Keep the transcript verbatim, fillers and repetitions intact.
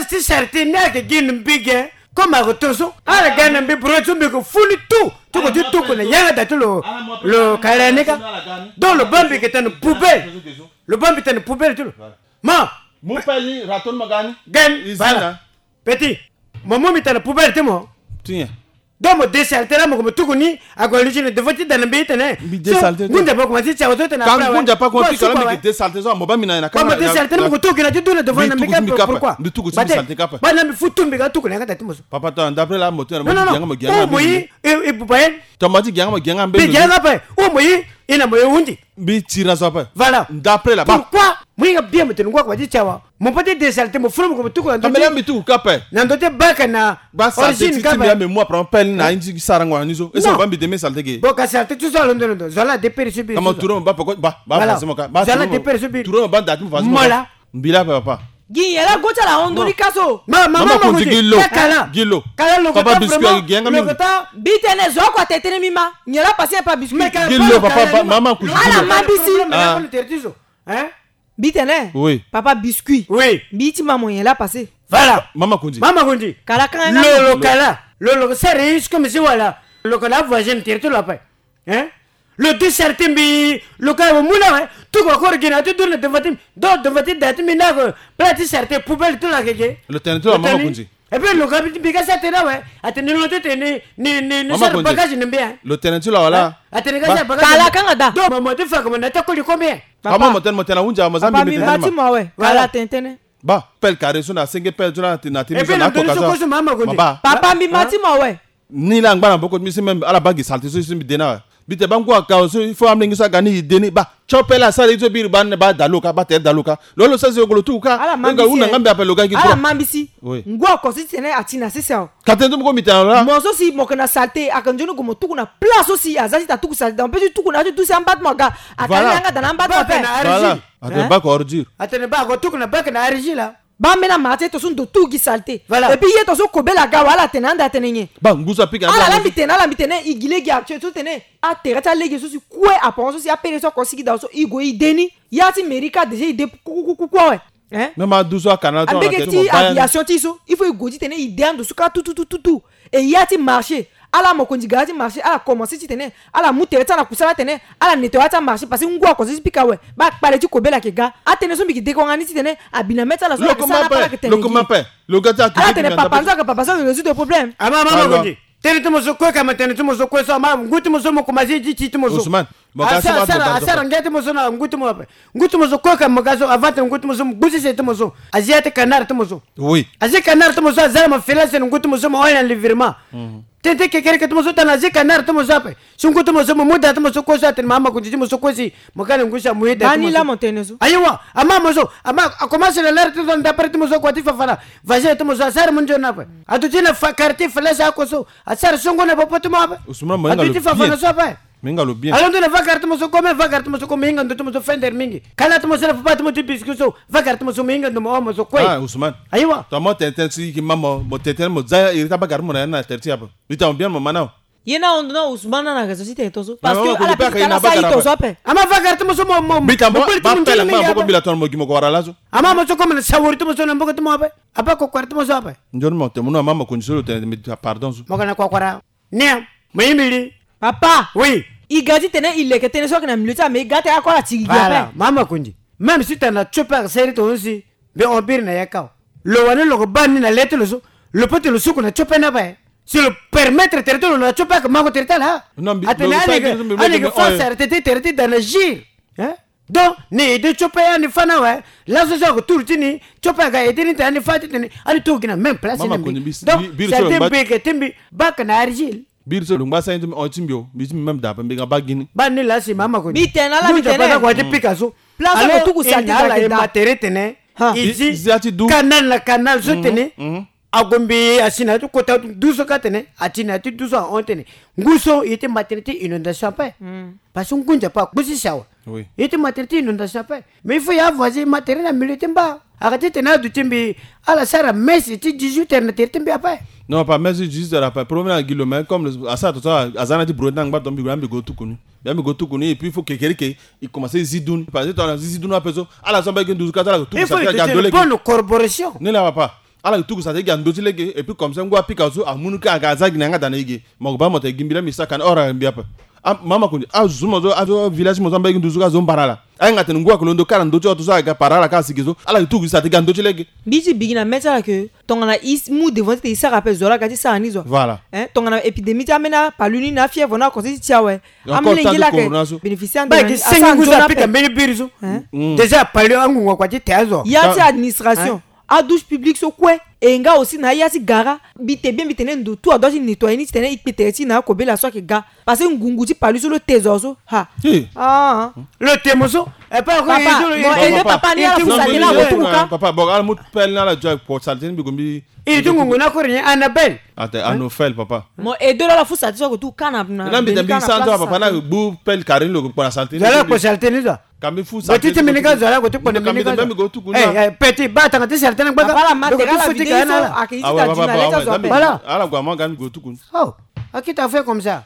Ti sarte ni ayeke gi na mbi ge. Comme ayeke to so ala ga na mbi bro so mbi yeke fu ni tout. Ti ko ti tuku na yanga da ti lo. Lo kala ni ka. Donc lo baa mbi yeke tene poubelle. Lo baa mbi tene poubelle ti lo. Ma. Mu pelle ni raton ma ga ni. Gen. Voilà. Petit. Mo mu mbi tene poubelle ti mo. Ti nyen? Donc mo desalte la mo ko mo tuku ni. Ague luti na devant ti da na mbi ti tene. Mbi desalte. Ngunza pa ko ma ti tia wato tene. Ngunza pa ko ma ti kala mbi desalte so mo baa mbi na na ka. Mo desalte ni mo ko tuku na ti du na devant na mbi ka. Pourquoi? Mbi tuku ti mbi salte ka pe. Baa na mbi fu tu mbi ka tuku na yanga da ti mo so. Papa to d'après la mo tene mo ti gianga mo gianga. O mo yi e buba yen. To ma ti gianga mo gianga mbi. Mbi gianga pe. O mo yi e na mo ye hundi. Mbi tira so ape. Voilà. D'après là-bas. Pourquoi? Mo hinga bien mo tene ngua ko ba ti tia wa. Mo pa ti desalte mo fulu mo ko mo tuku na ndo ti. Kamela mbi tuku kape. Na ndo ti baka na. Ba sa origine ti kape. Mbi ame mo apra pelle na indi sara ngua ni so. Ese mo ba mbi deme salte ge. Bo ka salte ti so alondo londo. Zola de pere so bi. Kama turo mo ba poko ba ba. Voilà. Façon mo ka. Ba zola de pere so bi. Turo mo ba ndati mo façon mo ka. Mola. Mbi la pe papa. Gi yela go ti ala hondo ni ka so. Ma mama ma kuti gi lo. Kala. Gi lo. Kala lo. Papa biscuit agi gianga mingi. Bi tene zo ako atene tene mbi ma. Nyen la pase pa biscuit. Gi lo papa mama kuti gi lo. Ala ma mbi si. Hein? Mbi tene. Oui. Papa biscuit. Oui. Mbi ti ma mo nyen la pase. Voilà. Mama kundi. Mama kundi. Kala kanga. Lo lo kala. Lo lo sere is comme si voilà. Lo kala voisine tere ti lo ape. Hein? Lo ti sarte mbi lo ka mo mu na awe. Tuku akoro gi na ti du na devant ti mbi. Donc devant ti da ti mbi na ko plat ti sarte poubelle ti lo ayeke ge. Lo tene ti lo mama kundi. Et puis lo ka mbi ka sarte na awe. Atene lo ti tene ni ni ni sara bagage na mbi hein. Lo tene ti lo wala. Atene ka sara bagage. Kala kanga da. Donc mama ti fa ko mo na ta koli combien? Papa mo tene mo tene ahunzi awe mo za mbi mbi tene ma. Papa mbi ma ti mo awe. Kala tene tene. Ba pelle carré so na senge pelle so na ti na ti mbi so na ko ka so. Papa mbi ma ti mo awe. Ni la ngba na mboko ti mbi si même ala baa gi salte so si mbi de ni awe. Mbi tene ba ngu aka so il faut amolenge so aga ni e de ni ba tio pelle asara ye ti so biri ba ni ba da lo ka ba tere da lo ka. Lo lo sara si lo ko lo tuku ka. Lo ga hunda nga mbi ape lo ga gi ala ma mbi si. Ngu oko so ti tene ati na sese awe. Ka tene ti mo ko mbi tene lo la. Mo so si mo yeke na salte aka nzoni gue mo tuku na place so si aza ti ta tuku salte donc pe ti tuku na ya ti dusi amba ti mo aga. Aka ni yanga da na amba ti mo ape. Voilà. Atene bak ordure. Atene bak oko tuku na bak na argile la. Ba ambeni amara ti ye to so ndo tu gi salte. Voilà. Et puis ye to so kobela aga wa ala tene ande atene nyen? Ba ngu so apika ala la mbi tene ala mbi tene i gi lege actuel so tene atere ti alege so si kue aporo so si apele so ako sigi da so i gue i de ni. Ya ti mairie ka déjà i de kukukuku awe. Hein? Même adu so akanal so ambeke ti aviation ti so il faut i gue ti tene i de ando so ka tututututu. E ya ti marché ala mokonzi ga ya ti marché ala commencé ti tene ala mu tere ti ala na kusala atene ala nettoyer ti amarché parce que ngu ako so ti pika awe. Ba kpale ti kobela ayeke ga atene so mbi yeke deko wanga ni ti tene abi na mê ti ala so ayeke sara na apara ayeke tene gi. Lo ga ti ala tene papa nzo ayeke papa so ayeke résoudre problème. Ama ama mokonzi. Tënë ti mo so kue ka ma tënë ti mo so kue so ama ngu ti mo so mo komanse ti ti ti mo so. Asara asara ngia ti mo so na ngu ti mo ape. Ngu ti mo so kue ka mo ga so avant tene ngu ti mo so mo gbu ti se ti mo so. Azi ya ti canard ti mo so. Oui. Azi canard ti mo so aza na mo fela se na ngu ti mo so mo hon na livirement. Tënë ti kekereke ti mo so tana azi canard ti mo so ape. Si ngu ti mo so mo mu da ti mo so kue so atene mama kunzi ti mo so kue si mo ga na ngu si amu ye da ti mo so. Ayiwa ama mo so ama akomanse na lere ti so ndapere ti mo so kua ti fafana. Vagin ti mo so asara mu nzoni ape. Aduti na fa quartier fela si ako so. Asara songo na popo ti mo ape. Aduti fafana so ape. Minga lo bien. Alondo na vagara ti mo so kome vagara ti mo so kome hinga ndo ti mo so fender mingi. Kala ti mo so na papa ti mo ti biscuit so vagara ti mo so mo hinga ndo mo omo so kue. Ah Ousmane. Ayiwa. To mo tene tene si ki ma mo mo tene tene mo za iri ta bagara ti mo na ya na tere ti ape. Bita mo bien mo ma na. Ye na hondo na Ousmane na na raison ti tene to so. Parce que ala bita ala sa iri to so ape. Ama vagara ti mo so mo mo. Bita mo ba pela ma mboko mbila tongana mo gi mo ko wara laso. Ama mo so kome na sawori ti mo so na mboko ti mo ape. Apa ko kwara ti mo so ape. Nzoni mo tene mo no ama mo condition lo tene mi pardon so. Mo kana ko kwara. Nia mo ye mbi li. Papa. Oui. I ga ti tene i leke tënë so ayeke na milieu ti ame i ga tene akua ala tiri gi ape. Mama kundi. Même si tana tio pe ayeke seri tongaso si mbi hon biri na ya kâ. Lo wani lo yeke baa ni na le ti lo so. Lo peut ti lo suku na tio pe ni ape. Si lo permettre tere ti lo na tio pe ayeke mango tere ti ala. Atene ani yeke fâ sara tënë ti tere ti da na gire. Donc ni ede tio pe ani fâ na awe. Laso so ayeke turu ti ni tio pe aga ede ni tene ani fâ ti tene ani tuku gi na même place ni na mbi. Donc c'est à dire mbi yeke ti mbi bake na argile. Biri so lo ngba sani ti mbi hon ti mbi o mbi ti mbi même da ape mbi ga baa gi ni. Baa ni laa si mama ko ni. Mbi tene na ala mbi tene. Nzapa na kua ti pika so. Place so lo tuku sani ti da ala ye ma tere tene. I zi ya ti du. Canal na canal so tene. Ague mbi asi na ya ti kota du so ka tene ati na ya ti du so ahon tene. Ngu so ye ti ma tere ti inondation ape. Parce que ngu nzapa akpusi si awe. Ye ti ma tere ti inondation ape. Mais il faut ya voisin ma tere na milieu ti mba. Aka ti tene aduti mbi ala sara messe ti dix-huit heures na tere ti mbi ape. Non pas messe ti dix-huit heures ape problème na gi lo mais comme asara to so aza na ti brouette na ngba to mbi gue na mbi go tuku ni. Mbi ya mbi go tuku ni et puis il faut kekereke i commencer zi du ni parce que to ala zi zi du ni ape so ala so mbi ayeke nduzu ka ti ala tuku sa ti aga dole. Bonne corporation. Ni la papa. Ala yeke tuku sara ti e gi na ndö ti lege. Et puis comme ça ngu apika so amu ni ka aga aza gi na yanga daa na e ge. Mo yeke baa mo tene gi mbi laa mbi saka ni ora mbi ape. Mama koni azo mo so azo village mo so amba e gi nduzu ka zo mbara ala. Ayanga tene ngu ayeke londo ka na ndö ti hoto so aga para ala ka asigi so ala yeke tuku sara ti e gi na ndö ti lege. Mbi ti bigi na mê ti ala ke tongana e mu devant ti tene e sara ape zo ala ga ti sara ni zo. Voilà. Tongana épidémie ti ambeni apalu ni na afièvre ni akonse ti ti awe. Amolenge laa ayeke bénéficier ande na ni. Asara nzoni ape. Déjà apalu angungu akua ti te azo. Ya ti administration, adouche publique so kue. E nga aussi na aya ti gara. Mbi te bien mbi tene ndo tout adua ti nettoyer ni titene e kpe tere ti e na akobela so ayeke ga. Parce que ngungu ti palu so lo te zo so. Ha. Lo te mo so. Papa, mo aide papa ni ala fu sara tënë akotuku ka. Papa bon ala mu pelle ni ala jua kpo sara tënë mbi ko mbi. Iri ti ngungu ni akori ni Annabelle. Ate Anofel papa. Mo aide lo ala fu sara tënë so akotuku ka na na mbi te mbi sara tënë so papa na gbu pelle carine lo ko kpo na sara tënë. Zo ala kpo sara tënë ni zo. Ka mbi fu sara tënë. Zo ala ko ti kpo na mbi ni ka zo. Petit baa tanga ti sara tënë gbaka. Papa ala ma tere ala vidéo so ayeke iri ti ta dina leta zo ape. Voilà. Ala gue amanga ni gue tuku ni. Oh, akita fait comme ça.